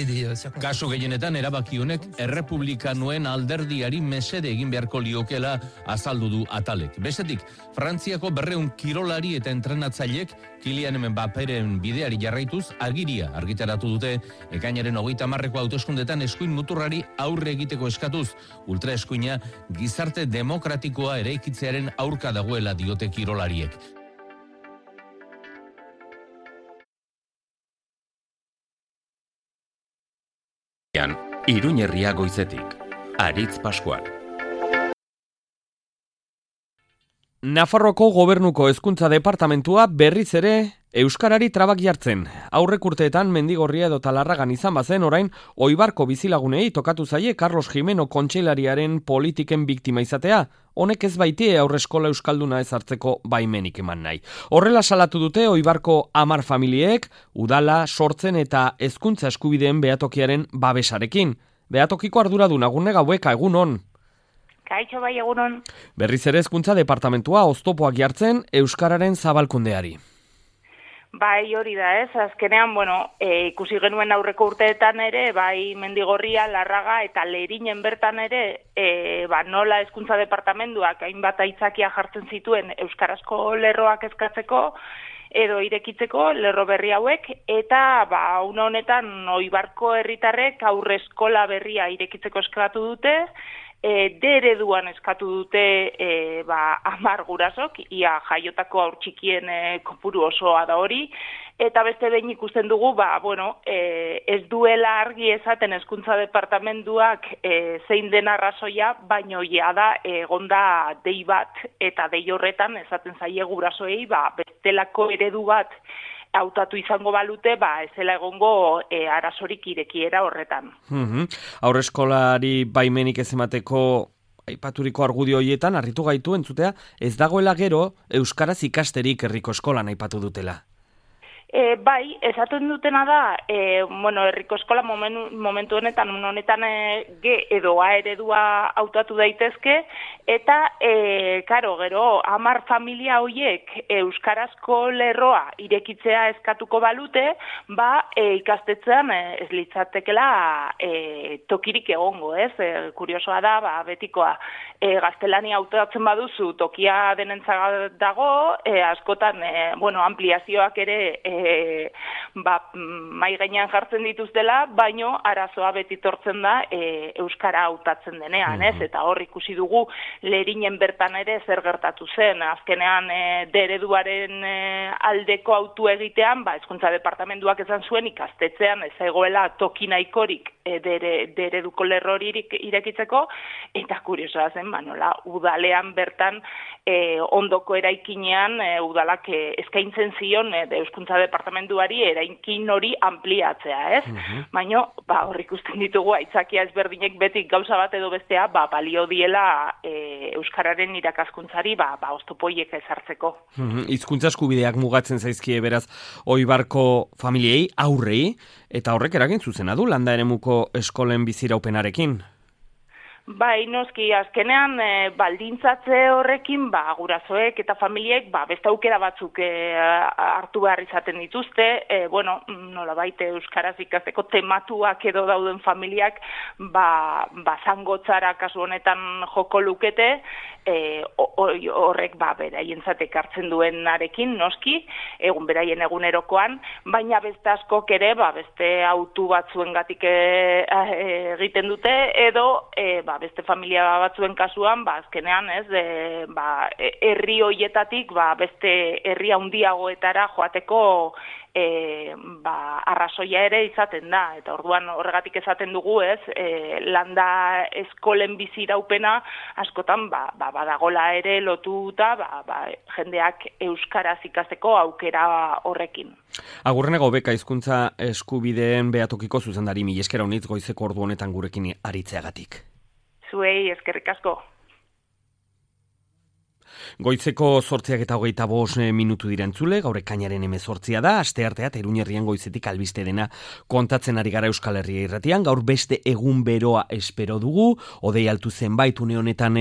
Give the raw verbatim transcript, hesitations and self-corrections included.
respecter des euh, circonstances. Kasu gehienetan erabaki honek errepublikanoen alderdiari mesede egin beharko liokela azaldu du Atalek. Bestetik, Frantziako berreun kirolari eta entrenatzaileek Kylian Mbappéren bideari jarraituz agiria argitaratu dute ekainaren hogeita hamarreko hauteskundetan eskuin muturrari aurre egiteko eskatuz. Ultraeskuina gizarte demokratikoa eraikitzearen aurka dagoela diote kirolariek. Iruñerria goizetik, Aritz Pascual. Nafarroko gobernuko hezkuntza departamentua berriz ere euskarari trabak jartzen. Aurrek urteetan Mendigorria edo Talarragan izan bazen orain Oibarko bizilagunei tokatu zaie Carlos Jimeno kontseilariaren politiken biktima izatea. Honek ez baitie aurreskola euskalduna ezartzeko baimenik eman nahi. Horrela salatu dute Oibarko hamar familiek, udala, sortzen eta hezkuntza eskubideen behatokiaren babesarekin. Behatokiko arduradun Agurne Gaueka, egun on. Kaixo bai, egunon. Berriz ere hezkuntza departamentua oztopoak jartzen euskararen zabalkundeari. Bai, hori da, ez? Azkenean, bueno, e, ikusi genuen aurreko urteetan ere, bai Mendigorria, Larraga eta Lerinen bertan ere, e, ba, nola hezkuntza departamentuak hainbat aitzakia jartzen zituen euskarazko lerroak eskatzeko edo irekitzeko lerro berri hauek, eta ba, une honetan Oibarko herritarrek aurreskola berria irekitzeko eskatu dute, E, de ereduan eskatu dute e, ba, hamar gurasok, ia jaiotako aur txikien e, kopuru osoa da hori, eta beste behin ikusten dugu, ba, bueno, e, ez duela argi esaten hezkuntza departamentuak e, zein den arrazoia, baino ja da egonda dei bat, eta dei horretan esaten zaie gurasoei, ba, bestelako eredu bat hautatu izango balute, ba, ezela egongo e, arazorik irekiera horretan. Mm-hmm. Aurreskolari baimenik ez emateko aipaturiko argudio horietan, harritu gaitu entzutea, ez dagoela gero euskaraz ikasterik herriko eskolan aipatu dutela. E, bai, esaten dutena da, e, bueno, herriko eskola momentu, momentu honetan, honetan e, G edo A eredua hautatu daitezke, eta, e, karo, gero, hamar familia hoiek euskarazko lerroa irekitzea eskatuko balute, ba, e, ikastetzean e, ez litzatekela e, tokirik egongo, ez? E, kuriosoa da, ba, betikoa, e, gaztelania hautatzen baduzu tokia denentzat dago, e, askotan, e, bueno, ampliazioak ere e, E, ba, mai gainean jartzen dituztela, baino arazoa beti tortzen da e, euskara hautatzen denean, ez? Eta hor ikusi dugu Lerinen bertan ere zer gertatu zen. Azkenean e, de ereduaren e, aldeko autu egitean, ba, hezkuntza departamentuak esan zuen ikastetzean ez egoela toki nahikorik e, de ereduko lerrorik irekitzeko, eta kuriosoa zen, ba, nola, udalean bertan e, ondoko eraikinean e, udalak e, eskaintzen zion e, de hezkuntza departamentuari eraikin hori ampliatzea, ez? Uh-huh. Baina, ba, hor ikusten ditugu aitzakia ezberdinek beti gauza bat edo bestea, ba, balio diela e, euskararen irakaskuntzari, ba, ba oztopoiek ezartzeko. Uh-huh. Hizkuntza eskubideak mugatzen zaizkie beraz Oibarko familiei, aurrei, eta horrek eragin zuzena du landa eremuko eskolen biziraupenarekin. Bai, noski, azkenean e, baldintzatze horrekin, ba, gurasoek eta familiek, ba, beste aukera batzuk e, hartu behar izaten dituzte, e, bueno, nola baite euskaraz ikasteko tematuak edo dauden familiak, ba, ba zangotzara kasu honetan joko lukete, e, horrek, ba, beraientzat ekartzen duenarekin, noski, egun beraien egunerokoan, baina beste askok ere, ba, beste autu batzuengatik e, e, egiten dute, edo, e, ba, beste familia batzuen kasuan, ba, azkenean, ez, e, ba, herri hoietatik, ba, beste herri handiagoetara joateko e, ba, arrazoia ere izaten da, eta orduan horregatik esaten dugu, ez, e, landa eskolen biziraupena askotan, ba, ba, badagola ere lotuta, ba, ba, jendeak euskaraz ikasteko aukera horrekin. Agurrene Gaueka hizkuntza eskubideen behatokiko zuzendari mila esker honitz goizeko ordu honetan gurekin aritzeagatik. Zuei, eskerrik asko. Goizeko zortziak eta hogeita bost minutu direntzule, gaur ekainaren hemezortzia da, asteartea Iruñerrian goizetik albiste dena kontatzen ari gara Euskal Herria irratian, gaur beste egun beroa espero dugu, hodei altu zenbait une honetan